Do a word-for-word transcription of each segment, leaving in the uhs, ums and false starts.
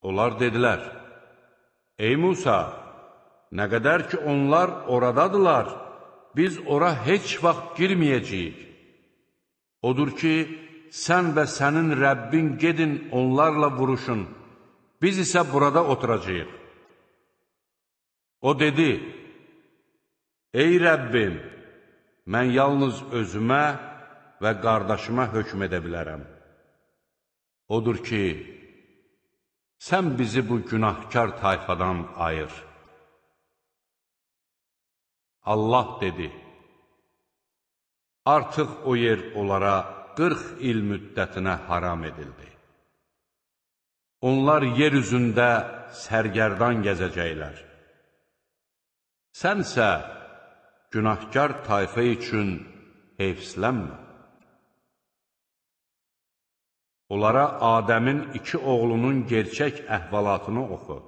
Onlar dedilər, ey Musa, nə qədər ki onlar oradadılar, biz ora heç vaxt girməyəcəyik. Odur ki, sən və sənin Rəbbin gedin onlarla vuruşun, biz isə burada oturacağıq. O dedi, ey Rəbbim, mən yalnız özümə və qardaşıma hökm edə bilərəm. Odur ki, sən bizi bu günahkar tayfadan ayır. Allah dedi, artıq o yer onlara qırx il müddətinə haram edildi. Onlar yer üzündə sərgərdan gəzəcəklər. Sənsə günahkar tayfa üçün heyfslənmə. Onlara Adəmin iki oğlunun gerçək əhvalatını oxu.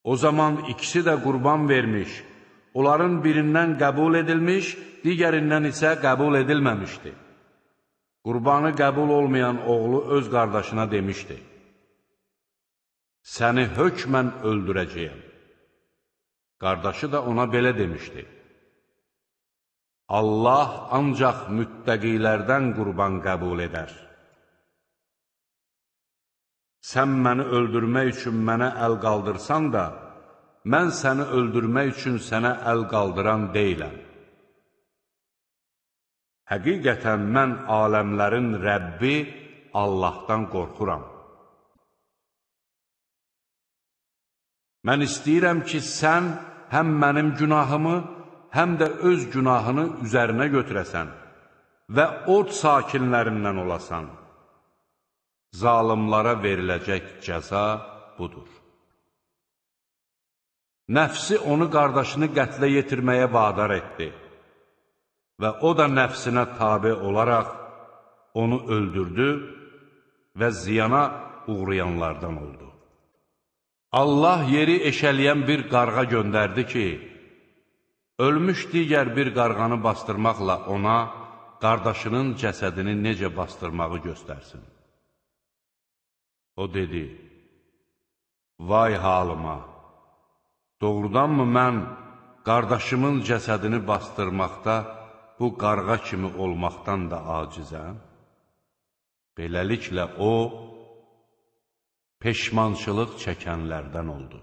O zaman ikisi də qurban vermiş, onların birindən qəbul edilmiş, digərindən isə qəbul edilməmişdi. Qurbanı qəbul olmayan oğlu öz qardaşına demişdi, səni hökmən öldürəcəyəm. Qardaşı da ona belə demişdi, Allah ancaq müttəqilərdən qurban qəbul edər. Sən məni öldürmək üçün mənə əl qaldırsan da, mən səni öldürmək üçün sənə əl qaldıran deyiləm. Həqiqətən mən aləmlərin Rəbbi Allahdan qorxuram. Mən istəyirəm ki, sən həm mənim günahımı, həm də öz günahını üzərinə götürəsən və od sakinlərindən olasan. Zalımlara veriləcək cəza budur. Nəfsi onu qardaşını qətlə yetirməyə vadar etdi və o da nəfsinə tabe olaraq onu öldürdü və ziyana uğrayanlardan oldu. Allah yeri eşələyən bir qarğa göndərdi ki, ölmüş digər bir qarğanı bastırmaqla ona qardaşının cəsədini necə bastırmağı göstərsin. O dedi, vay halıma, doğrudanmı mən qardaşımın cəsədini bastırmaqda bu qarğa kimi olmaqdan da acizəm? Beləliklə o, peşmançılıq çəkənlərdən oldu.